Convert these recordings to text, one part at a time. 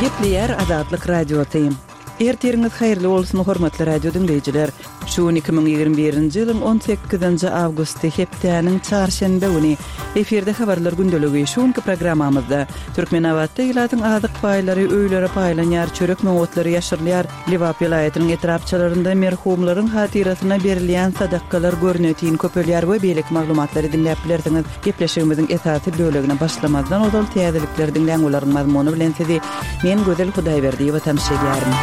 Gepleýär Azatlyk Radiosy. Ertiriňiz haýyrly bolsun, hormatly radio diňleýjiler! Şu gün 2021-nji ýylyň on sekizinji awgusty, hepdäniň çarşenbe güni. Efirde habarlar gündeligi. Şu günki programmamyzda, Türkmenabatda ilatyň azyk paýlary öýlere paýlanýar, çörek nobatlary ýaşyrylýar, Lebap welaýatynyň etrapçalarynda merhumlaryň hatyrasyna berilýän sadakalar görnetin köpelýär we beýleki maglumatlary diňläp bilersiňiz. Gepleşigimiziň esasy bölegine başlamazdan ozal täzelikleri diňläň, olaryň mazmuny bilen sizi men Gözel Hudaýberdiýewa tanyş edýärin.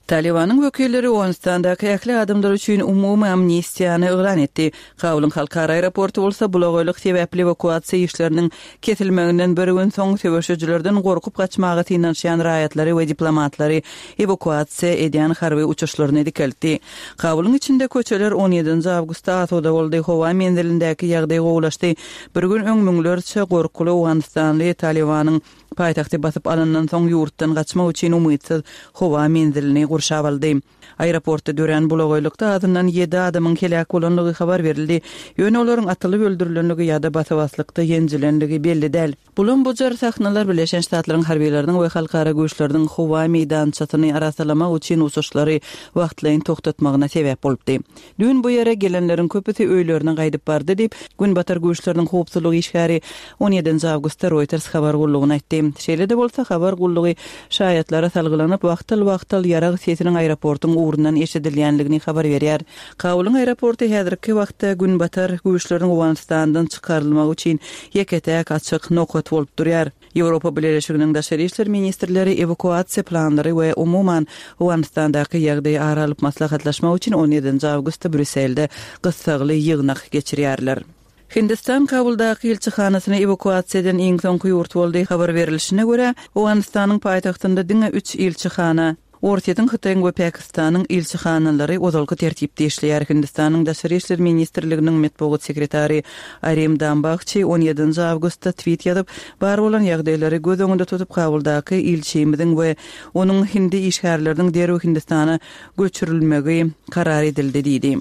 Talybanyň wekilleri Owganystandaky ähli adamlar üçin umumy amnistiýany yglan etdi. Kabulyň halkara aeroporty bolsa bulagaýlyk sebäpli ewakuasiýa işleriniň kesilmeginden bir gün soň söweşijilerden gorkup gaçmaga synanyşýan raýatlary we diplomatlary ewakuasiýa edýän harby uçuşlaryny dikeltdi. Kabulyň içinde köçeler on ýedinji awgustda asuda boldy, howa menzilindäki ýagdaý gowulaşdy. Bir gün öň müňlerçe gorkuly owganystanly Talybanyň paýtagty basyp alandan soň ýurtdan gaçmak üçin umytsyz howa menzilini gurşap aldy. Aeroportda dörän bulagaýlykda azyndan ýedi adamyň heläk bolandygy habar berildi. Ýöne olaryň atylyp öldürilenligi ýa-da basa-baslykda ýenjilendigi belli däl. Bulam-bujar sahnalar Birleşen Ştatlaryň harbylarynyň we halkara güýçleriniň howa meýdançasyny arassalamak üçin uçuşlary wagtlaýyn togtatmagyna sebäp bolupdy. Düýn bu ýere gelenleriň köpüsi öýlerine gaýdyp bardy diýip, Günbatar güýçleriniň howpsuzlyk işgäri on ýedinji awgustda Reuters habar gullugyna aýtdy. Şeýle-de bolsa, habar gullugy şaýatlara salgylanyp, wagtal-wagtal ýarag sesiniň aeroportuň ugrundan eşidilýändigini habar berýär. Kabulyň aeroporty häzirki wagtda Günbatar güýçleriniň Owganystandan çykarylmagy üçin ýeke-täk açyk nokat bolup durýar. Ýewropa Bileleşiginiň daşary işler ministrleri ewakuasiýa planlary we umuman, Owganystandaky ýagdaýy ara alyp maslahatlaşmak üçin on ýedinji awgustda Brýusselde gyssagly ýygnak geçirýärler. Hindistan Kabuldaky ilçihanasyny ewakuasiýa eden iň soňky ýurt boldy. Habar berilişine görä, Owganystanyň paýtagtynda diňe üç ilçihana, Orsýetiň, Hytaýyň we Pakistanyň ilçihanalary ozalky tertipde işleýär. Hindistanyň Daşary işler ministrliginiň metbugat sekretary Arim Dambahçi on ýedinji awgustda twit ýazyp, bar bolan ýagdaýlary göz öňünde tutup Kabuldaky ilçimiziň we onuň hindi işgärleriniň derrew Hindistana göçürilmegi karar edildi diýdi.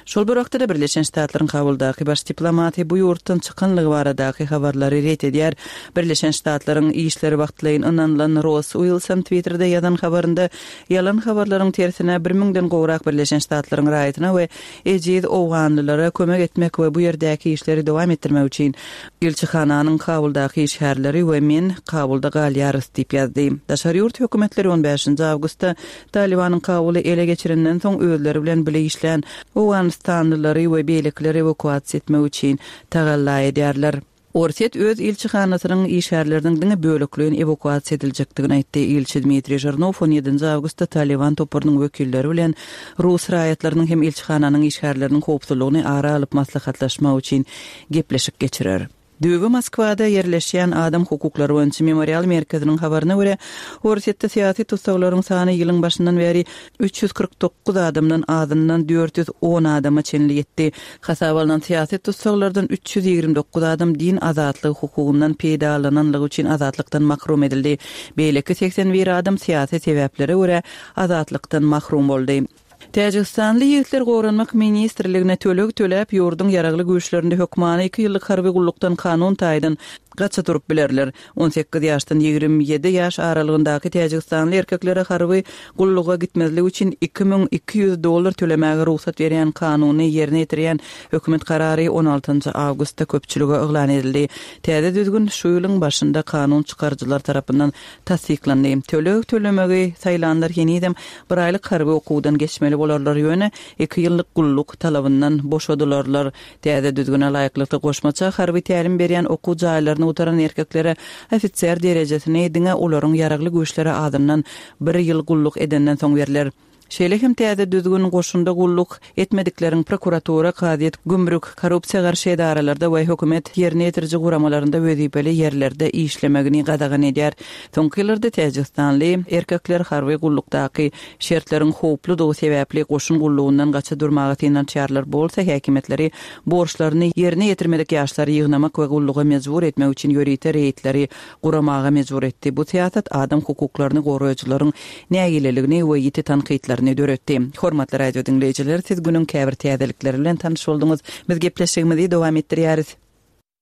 Şol bir wagtda-da Birleşen Ştatlaryň Kabuldaky baş diplomaty bu ýurtdan çykanlygy baradaky habarlary ret edýär. Birleşen Ştatlaryň işleri wagtlaýyn ynanylan Ross Uilson Twitterde ýazan habarynda ýalan habarlaryň tersine bir müňden gowrak Birleşen Ştatlaryň raýatyna we ejiz owganlylara kömek etmek we bu ýerdäki işleri dowam etdirmek üçin ilçihananyň Kabuldaky işgärleri we men Kabulda galýarys diýip ýazdy. Daşary ýurt hökümetleri on bäşinji awgustda Talybanyň Kabuly ele geçirenden soň özleri bilen bile işlän owganystanlylary we beýlekileri ewakuasiýa etmek üçin tagalla edýärler. Orsýet öz ilçihanasynyň işgärleriniň diňe bölekleýin ewakuasiýa ediljekdigini aýtdy. Ilçi Dmitriý Žirnow on ýedinji awgustda Talyban toparynyň wekilleri bilen rus raýatlarynyň hem ilçihananyň işgärleriniň howpsuzlygyny ara alyp maslahatlaşmak üçin gepleşik geçirer. Düýbi Moskwada ýerleşýän Adam hukuklary boýunça Memorial merkeziniň habaryna görä, Orsýetde syýasy tussaglaryň sany ýylyň başyndan bäri 349 adamdan azyndan 410 adama çenli ýetdi. Hasaba alnan syýasy tussaglardan 329 adam din azatlygy hukugyndan peýdalananlygy üçin azatlykdan mahrum edildi. Beýleki 81 adam syýasy sebäplere görä azatlykdan mahrum boldy. Täjigistanly ýigitler Goranmak ministrligine töleg töläp, ýurduň Ýaragly Güýçlerinde hökmany iki ýyllyk harby gullukdan kanun taýdan gaça durup bilerler. 18 ýaşdan 27 ýaş aralygyndaky täjigistanly erkeklere harby gulluga gitmezlik üçin 2200 dollar tölemäge rugsat berýän kanuny ýerine ýetirýän hökümet karary on altynjy awgustda köpçülige yglan edildi. Täze düzgün şu ýylyň başynda kanun çykaryjylar tarapyndan tassyklandy. Töleg tölemegi saýlanlar henizem bir aýlyk harby okuwdan geçmeli bolarlar, ýöne iki ýyllyk gulluk talabyndan boşadylarlar. Täze düzgüne laýyklykda, goşmaça harby tälim berýän okuw jaýlaryny gutaran erkeklere ofiser derejesini diňe olaryň ýaragly güýçlere azyndan bir ýyl gulluk edenden soň berler. Şeýle hem täze düzgün goşunda gulluk etmedikleriň prokuratura, kazyýet, gümrük, korrupsiýa garşy edaralarda we hökümet ýerine ýetiriji guramalarynda wezipeli ýerlerde işlemegini gadagan edýär. Soňky ýyllarda täjigistanly erkekler harby gullukdaky şertleriň howpludygy sebäpli goşun gullugyndan gaça durmaga synanyşýarlar, bu bolsa häkimiýetleri borçlaryny ýerine ýetirmedik ýaşlary ýygnamak we gulluga mejbur etmek üçin ýörite reýdleri guramaga mejbur etdi. Bu syýasat adam hukuklaryny goraýjylaryň nägileligini we ýiti tankytlaryny döretdi. Hormatly radio diňleýjiler, siz günüň käbir täzelikleri bilen tanyş bolduňyz. Biz gepleşigimizi dowam etdirýäris.